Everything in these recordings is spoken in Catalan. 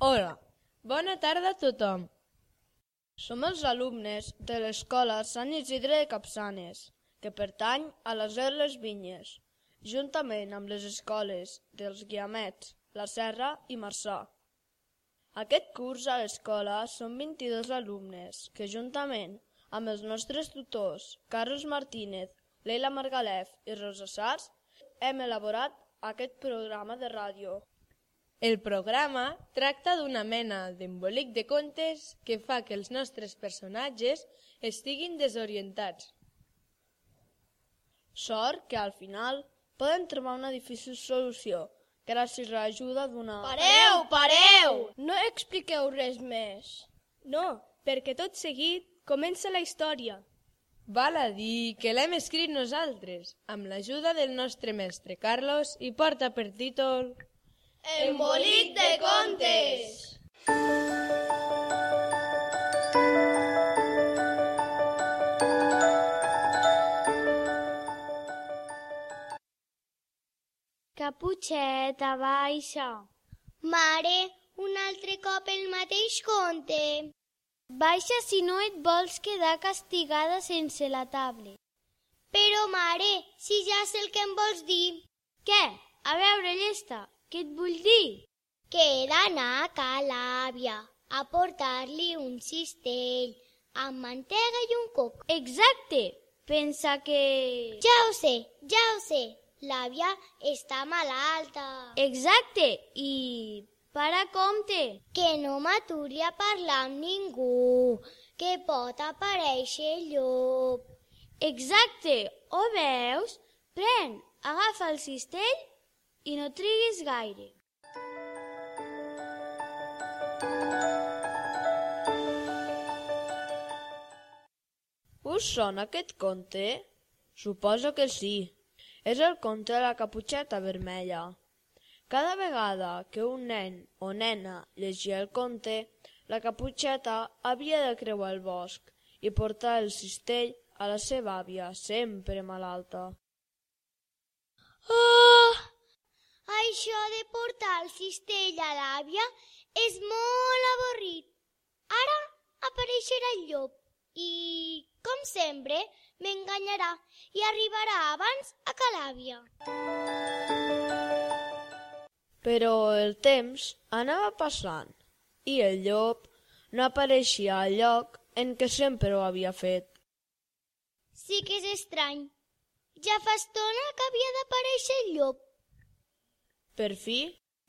Hola, bona tarda a tothom. Som els alumnes de l'Escola Sant Isidre de Capçanes, que pertany a la Seu de les Vinyes, juntament amb les escoles dels Guiamets, La Serra i Marçà. Aquest curs a l'escola són 22 alumnes que, juntament amb els nostres tutors, Carlos Martínez, Leila Margalef i Rosa Sars, hem elaborat aquest programa de ràdio. El programa tracta d'una mena d'embolic de contes que fa que els nostres personatges estiguin desorientats. Sort que al final poden trobar una difícil solució gràcies a l'ajuda d'una... Pareu! No expliqueu res més. No, perquè tot seguit comença la història. Val a dir que l'hem escrit nosaltres, amb l'ajuda del nostre mestre Carlos, i porta per títol... Embolic de contes! Caputxeta, baixa. Mare, un altre cop el mateix conte. Baixa si no et vols quedar castigada sense la tablet. Però, mare, si ja sé el que em vols dir. Què? A veure, llesta, què et vull dir? Que he d'anar a ca l'àvia a portar-li un cistell amb mantega i un coc. Exacte! Pensa que... Ja ho sé. L'àvia està malalta. Exacte! I... para compte! Que no m'aturi a parlar amb ningú, que pot aparèixer el llop. Exacte! Ho veus? Pren, agafa el cistell i no triguis gaire. Us sona aquest conte? Suposo que sí. És el conte de la Caputxeta Vermella. Cada vegada que un nen o nena llegia el conte, la Caputxeta havia de creuar el bosc i portar el cistell a la seva àvia, sempre malalta. Oh! Això de portar el cistell a l'àvia és molt avorrit. Ara apareixerà el llop i, com sempre, m'enganyarà i arribarà abans a ca l'àvia. Però el temps anava passant i el llop no apareixia al lloc en què sempre ho havia fet. Sí que és estrany. Ja fa estona que havia d'aparèixer el llop. Per fi,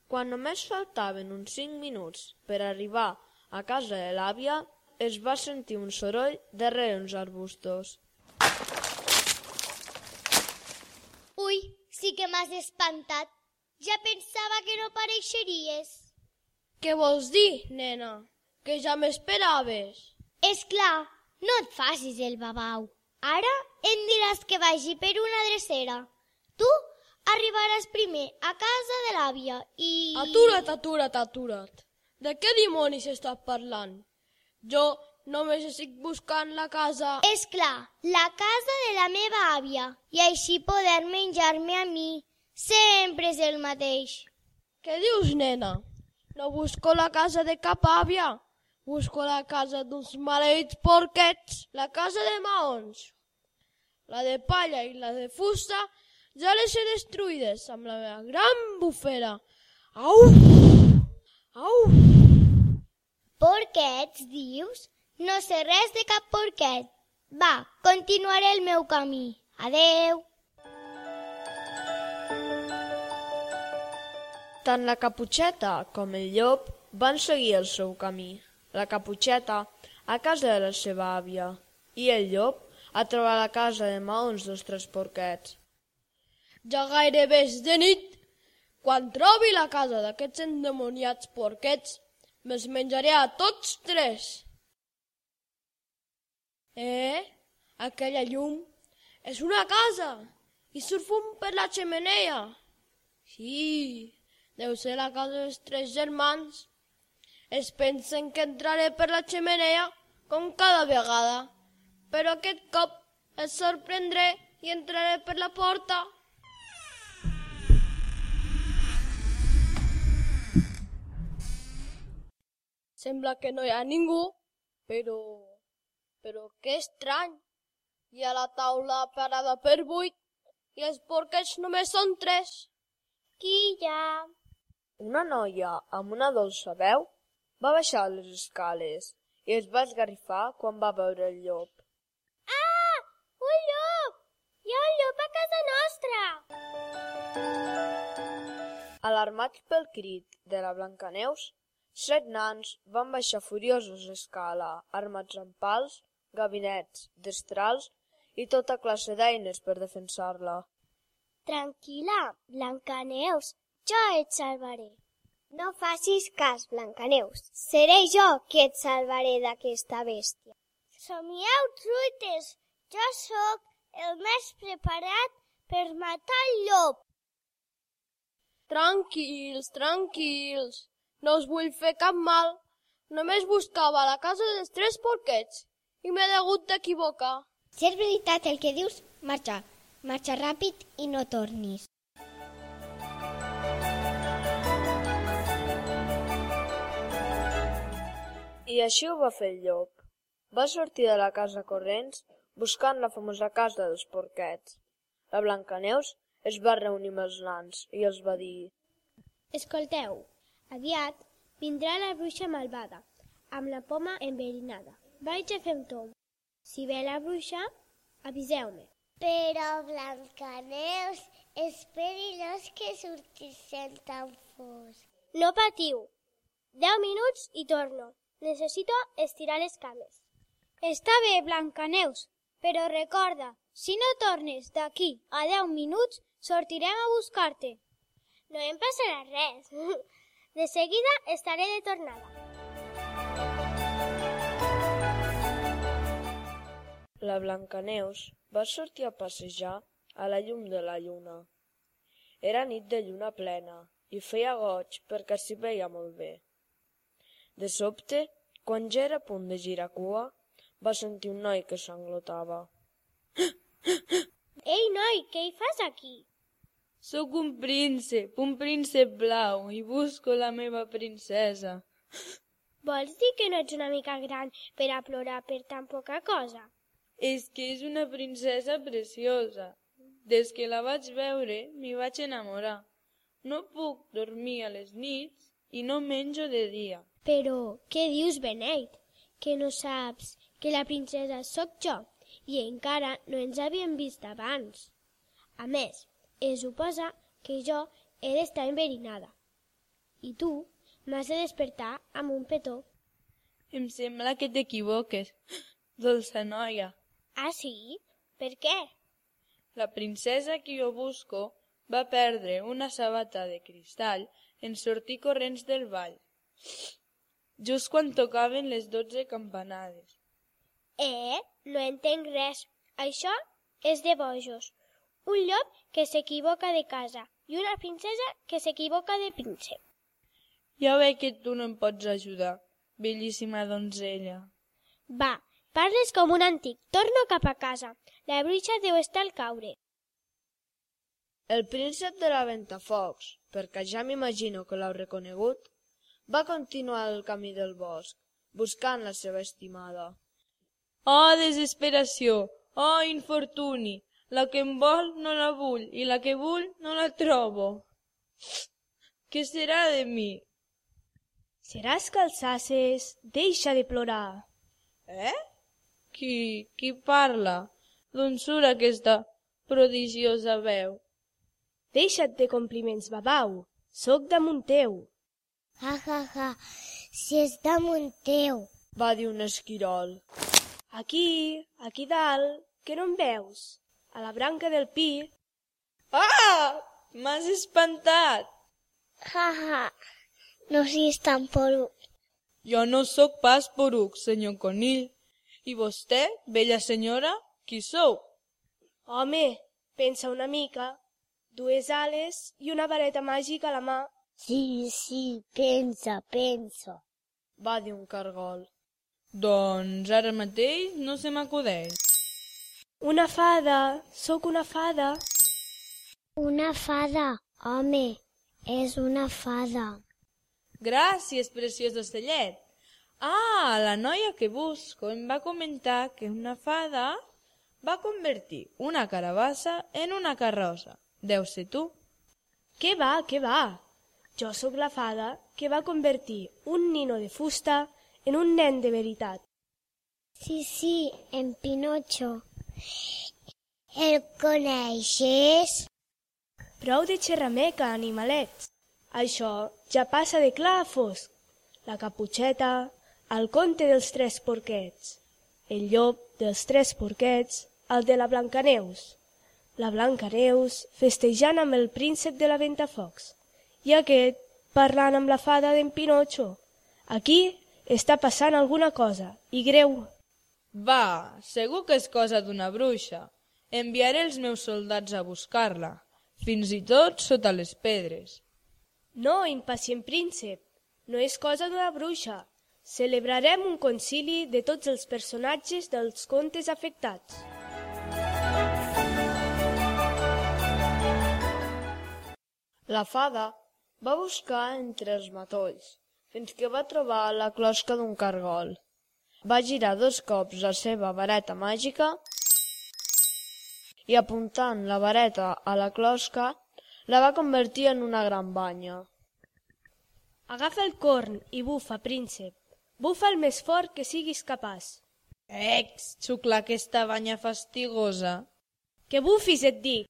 quan només faltaven uns 5 minuts per arribar a casa de l'àvia, es va sentir un soroll darrere uns arbustos. Ui, sí que m'has espantat. Ja pensava que no apareixeries. Què vols dir, nena? Que ja m'esperaves. És clar, no et facis el babau. Ara em diràs que vagi per una drecera. Tu arribaràs primer a casa de l'àvia i... Atura't. De què dimonis estàs parlant? Jo només estic buscant la casa... És clar, la casa de la meva àvia, i així poder menjar-me a mi. Sempre és el mateix. Què dius, nena? No busco la casa de cap àvia. Busco la casa d'uns maleïts porquets, la casa de maons. La de palla i la de fusta ja les he destruïdes amb la meva gran bufera. Au! Au! Porquets, dius? No sé res de cap porquet. Va, continuaré el meu camí. Adeu! Tant la Caputxeta com el llop van seguir el seu camí. La Caputxeta a casa de la seva àvia i el llop a trobar la casa de maons dels 3 porquets. Ja gairebé és de nit. Quan trobi la casa d'aquests endemoniats porquets, me'ls menjaré a tots 3. Aquella llum és una casa i surt fum per la xemeneia. Sí, deu ser la casa dels 3 germans. Es pensen que entraré per la xemeneia com cada vegada, però aquest cop els sorprendré i entraré per la porta. Sembla que no hi ha ningú, però que estrany. Hi ha la taula parada per 8 i els porquets només són 3. Qui hi ha? Una noia amb una dolça veu va baixar les escales i es va esgarrifar quan va veure el llop. Ah! Un llop! Hi ha un llop a casa nostra! Alarmats pel crit de la Blancaneus, 7 nans van baixar furiosos l'escala, armats amb pals, gabinets, destrals i tota classe d'eines per defensar-la. Tranquil·la, Blancaneus, jo et salvaré. No facis cas, Blancaneus. Seré jo qui et salvaré d'aquesta bèstia. Somieu truites, jo sóc el més preparat per matar el llop. Tranquils, tranquils. No us vull fer cap mal. Només buscava la casa dels 3 porquets i m'he hagut d'equivocar. Si és veritat el que dius, marxa. Marxa ràpid i no tornis. I així ho va fer el llop. Va sortir de la casa corrents buscant la famosa casa dels porquets. La Blancaneus es va reunir amb els nans i els va dir: Escolteu, aviat vindrà la bruixa malvada, amb la poma enverinada. Vaig a fer un tomb. Si ve la bruixa, aviseu-me. Però, Blancaneus, és perillós que surtis sent tan fosc. No patiu. 10 minuts i torno. Necessito estirar les cames. Està bé, Blancaneus, però recorda, si no tornes d'aquí a 10 minuts, sortirem a buscar-te. No em passarà res. De seguida estaré de tornada. La Blancaneus va sortir a passejar a la llum de la lluna. Era nit de lluna plena i feia goig perquè s'hi veia molt bé. De sobte, quan ja era a punt de girar cua, va sentir un noi que s'englotava. Ei, noi, què hi fas aquí? Sóc un príncep blau i busco la meva princesa. Vols dir que no ets una mica gran per a plorar per tan poca cosa? És que és una princesa preciosa. Des que la vaig veure, m'hi vaig enamorar. No puc dormir a les nits i no menjo de dia. Però, què dius, beneit? Que no saps que la princesa sóc jo i encara no ens havíem vist abans. A més, es suposa que jo he d'estar enverinada. I tu m'has de despertar amb un petó. Em sembla que t'equivoques, dolça noia. Ah, sí? Per què? La princesa que jo busco va perdre una sabata de cristall en sortir corrents del ball, just quan tocaven les 12 campanades. No entenc res. Això és de bojos. Un llop que s'equivoca de casa i una princesa que s'equivoca de príncep. Ja veig que tu no em pots ajudar, bellíssima donzella. Va, parles com un antic. Torno cap a casa. La bruixa deu estar al caure. El príncep de la Ventafocs, perquè ja m'imagino que l'heu reconegut, va continuar el camí del bosc, buscant la seva estimada. Oh, desesperació! Oh, infortuni! La que em vol no la vull i la que vull no la trobo. Què serà de mi? Seràs que els ases deixa de plorar. Qui parla? D'on surt aquesta prodigiosa veu? Deixa't de compliments, babau. Soc damunt teu. Ha, si és damunt teu. Va dir un esquirol. Aquí dalt, que no em veus? A la branca del pi. Ah! M'has espantat! Ha, no siguis tan poruc. Jo no sóc pas poruc, senyor Conill. I vostè, bella senyora, qui sou? Home, pensa una mica. 2 ales i una vareta màgica a la mà. Sí, pensa. Va dir un cargol. Doncs ara mateix no se m'acudeix. Una fada, sóc una fada. Una fada, home, és una fada. Gràcies, preciós ocellet. Ah, la noia que busco em va comentar que una fada va convertir una carabassa en una carrossa. Deu ser tu. Què va, què va? Jo sóc la fada que va convertir un nino de fusta en un nen de veritat. Sí, en Pinocho. El coneixes? Prou de xerrameca, animalets. Això ja passa de clar a fosc. La Caputxeta, el conte dels 3 porquets, el llop dels 3 porquets, el de la Blancaneus. La Blancaneus festejant amb el príncep de la Ventafocs i aquest parlant amb la fada d'en Pinocho. Aquí està passant alguna cosa, i greu. Va, segur que és cosa d'una bruixa. Enviaré els meus soldats a buscar-la, fins i tot sota les pedres. No, impacient príncep, no és cosa d'una bruixa. Celebrarem un concili de tots els personatges dels contes afectats. La fada va buscar entre els matolls, fins que va trobar la closca d'un cargol. Va girar 2 cops la seva vareta màgica i apuntant la vareta a la closca la va convertir en una gran banya. Agafa el corn i bufa, príncep. Bufa el més fort que siguis capaç. Xucla aquesta banya fastigosa. Que bufis, et dic.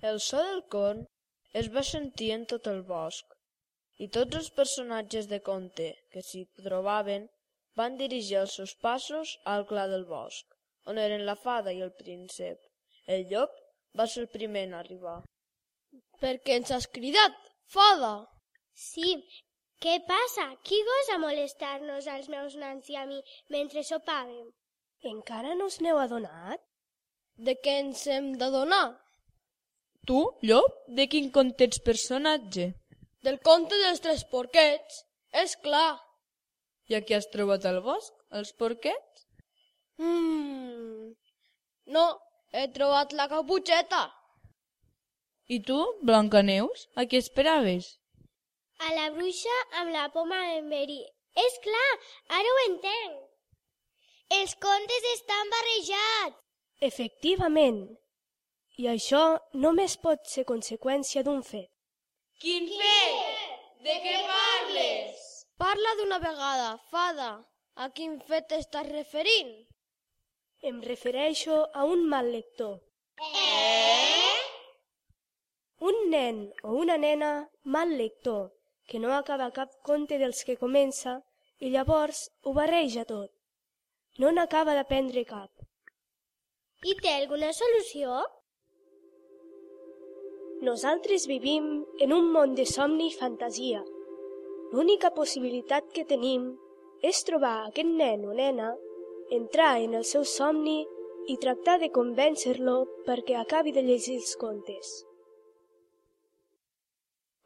El so del corn es va sentir en tot el bosc, i tots els personatges de conte que s'hi trobaven van dirigir els seus passos al clar del bosc, on eren la fada i el príncep. El llop va ser el primer en arribar. Per què ens has cridat, fada? Sí, què passa? Qui gosa molestar-nos als meus nans i a mi mentre sopàvem? Encara no us n'heu adonat? De què ens hem d'adonar? Tu, llop, de quin conte ets personatge? Del conte dels 3 porquets, és clar. I a qui has trobat al bosc, els porquets? No, he trobat la Caputxeta. I tu, Blancaneus, a qui esperaves? A la bruixa amb la poma en verí. És clar, ara ho entenc. Els contes estan barrejats. Efectivament. I això només pot ser conseqüència d'un fet. Quin fet? De què parles? Parla d'una vegada, fada. A quin fet t'estàs referint? Em refereixo a un mal lector. Un nen o una nena mal lector que no acaba cap conte dels que comença i llavors ho barreja tot. No n'acaba d'aprendre cap. I té alguna solució? Nosaltres vivim en un món de somni i fantasia. L'única possibilitat que tenim és trobar aquest nen o nena, entrar en el seu somni i tractar de convèncer-lo perquè acabi de llegir els contes.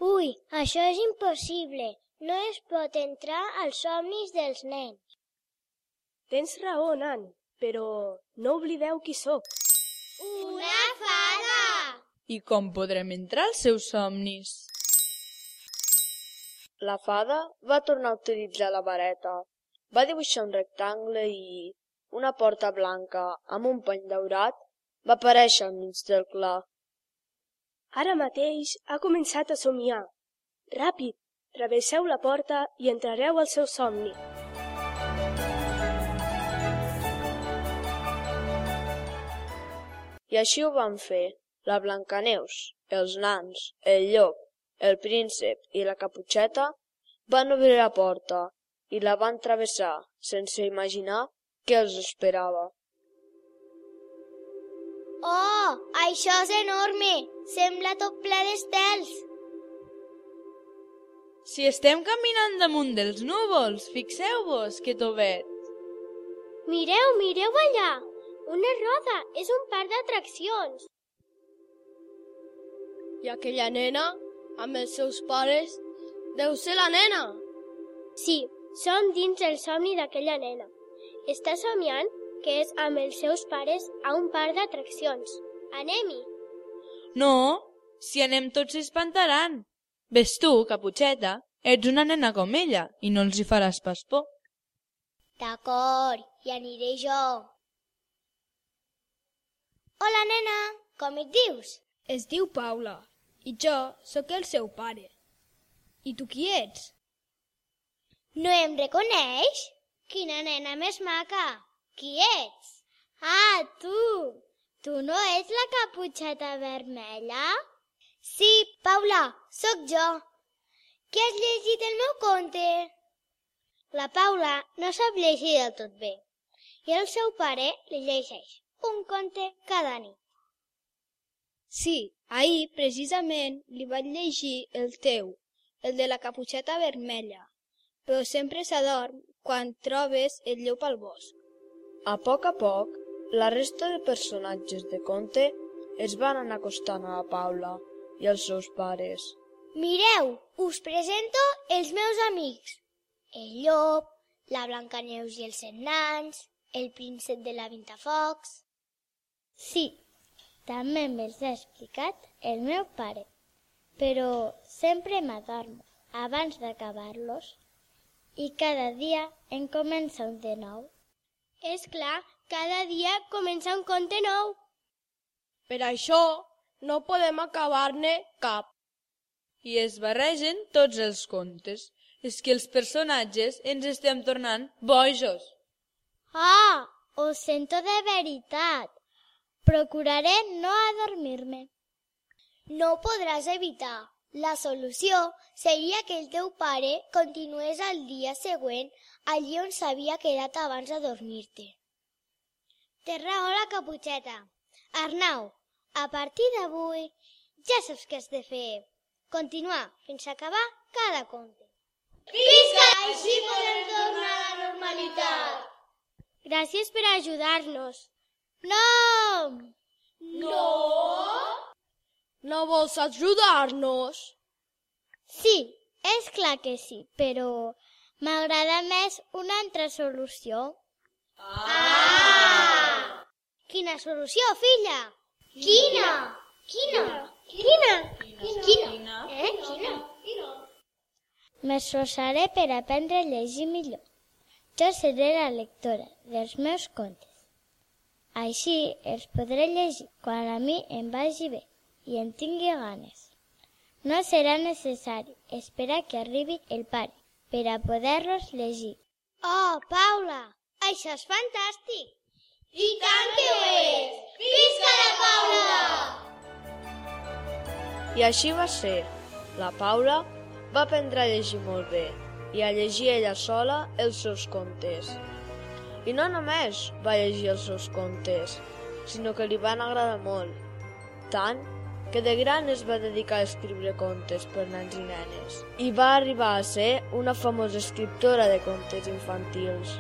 Ui, això és impossible. No es pot entrar als somnis dels nens. Tens raó, nan, però no oblideu qui sóc. Una fada! I com podrem entrar als seus somnis? La fada va tornar a utilitzar la vareta. Va dibuixar un rectangle i una porta blanca amb un pany daurat va aparèixer al mig del clar. Ara mateix ha començat a somiar. Ràpid, travesseu la porta i entrareu al seu somni. I així ho van fer. La Blancaneus, els nans, el llop, el príncep i la Caputxeta van obrir la porta i la van travessar sense imaginar què els esperava. Oh, això és enorme! Sembla tot ple d'estels. Si estem caminant damunt dels núvols, fixeu-vos que tovet. Mireu, mireu allà! Una roda, és un parc d'atraccions. I aquella nena, amb els seus pares, deu ser la nena. Sí, som dins el somni d'aquella nena. Està somiant que és amb els seus pares a un parc d'atraccions. Anem-hi. No, Si anem tots s'espantaran. Ves tu, Caputxeta, ets una nena com ella i no els hi faràs pas por. D'acord, hi aniré jo. Hola, nena, com et dius? Es diu Paula i jo sóc el seu pare. I tu qui ets? No em reconeix? Quina nena més maca. Qui ets? Ah, tu! Tu no ets la Caputxeta Vermella? Sí, Paula, sóc jo. Qui has llegit el meu conte? La Paula no sap llegir del tot bé i el seu pare li llegeix un conte cada nit. Sí, ahir precisament li vaig llegir el teu, el de la Caputxeta Vermella, però sempre s'adorm quan trobes el llop al bosc. A poc, la resta de personatges de conte es van anar acostant a la Paula i als seus pares. Mireu, us presento els meus amics. El llop, la Blancaneus i els 100 nans, el príncep de la Ventafocs. Sí, també me'ls ha explicat el meu pare, però sempre m'adormo abans d'acabar-los i cada dia en comença un de nou. És clar, cada dia comença un conte nou. Per això no podem acabar-ne cap. I es barregen tots els contes. És que els personatges ens estem tornant bojos. Ah, ho sento de veritat. Procuraré no adormir-me. No ho podràs evitar. La solució seria que el teu pare continués al dia següent allí on s'havia quedat abans de dormir-te. Té raó la Caputxeta. Arnau, a partir d'avui ja saps què has de fer. Continuar fins a acabar cada conte. Visca! Així podem tornar a la normalitat. Gràcies per ajudar-nos. No! No? No vols ajudar-nos? Sí, és clar que sí, però m'agrada més una altra solució. Ah! Quina solució, filla? Quina? Quina? Quina? Quina? Quina? M'esforçaré per aprendre a llegir millor. Jo seré la lectora dels meus contes. Així els podré llegir quan a mi em vagi bé i en tingui ganes. No serà necessari esperar que arribi el pare per a poder-los llegir. Oh, Paula, això és fantàstic! I tant que ho és! Visca la Paula! I així va ser. La Paula va aprendre a llegir molt bé i a llegir ella sola els seus contes. I no només va llegir els seus contes, sinó que li van agradar molt, tant que de gran es va dedicar a escriure contes per nens i nenes i va arribar a ser una famosa escriptora de contes infantils.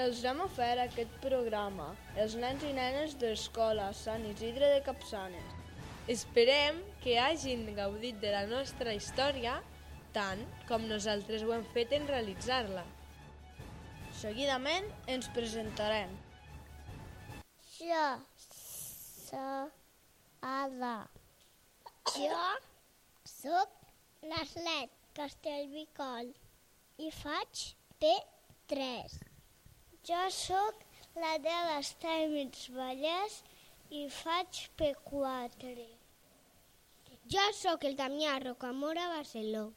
Els vam oferir aquest programa, els nens i nenes de l'escola Sant Isidre de Capçanes. Esperem que hagin gaudit de la nostra història tant com nosaltres ho hem fet en realitzar-la. Seguidament ens presentarem. Jo soc Ada. Jo soc l'Arlet Castellbicol i faig P3. Jo sóc la de les Tèmits Vallès i faig P4. Jo sóc el Damià Rocamora Barceló.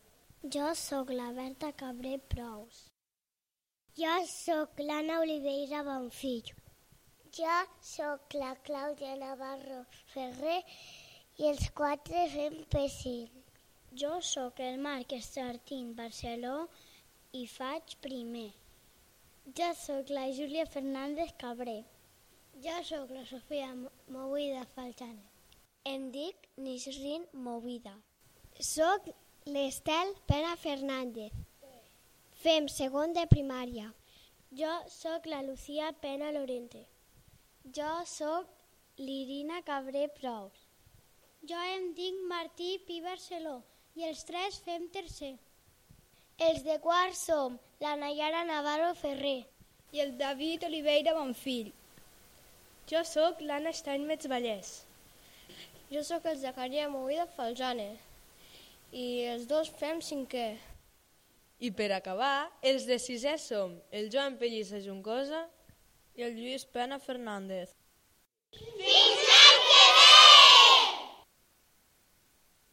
Jo sóc la Berta Cabré Prous. Jo sóc l'Anna Oliveira Bonfill. Jo sóc la Clàudia Navarro Ferrer i els 4 fem P5. Jo sóc el Marc Estartín Barceló i faig primer. Jo sóc la Júlia Fernández Cabré. Jo sóc la Sofia Movida Falcane. Em dic Nisrin Movida. Soc l'Estel Pera Fernández. Fem segon de primària. Jo sóc la Lucía Pena Lorente. Jo sóc l'Irina Cabré Prous. Jo em dic Martí Pi Barceló i els 3 fem tercer. Els de quart som la Nayara Navarro Ferrer. I el David Oliveira Bonfill. Jo sóc l'Anna Steinmetz Vallès. Jo sóc el Zacaria Movida Falzane. I els dos fem cinquè. I per acabar, els de sisè som el Joan Pellissa Juncosa I el Lluís Pena Fernández.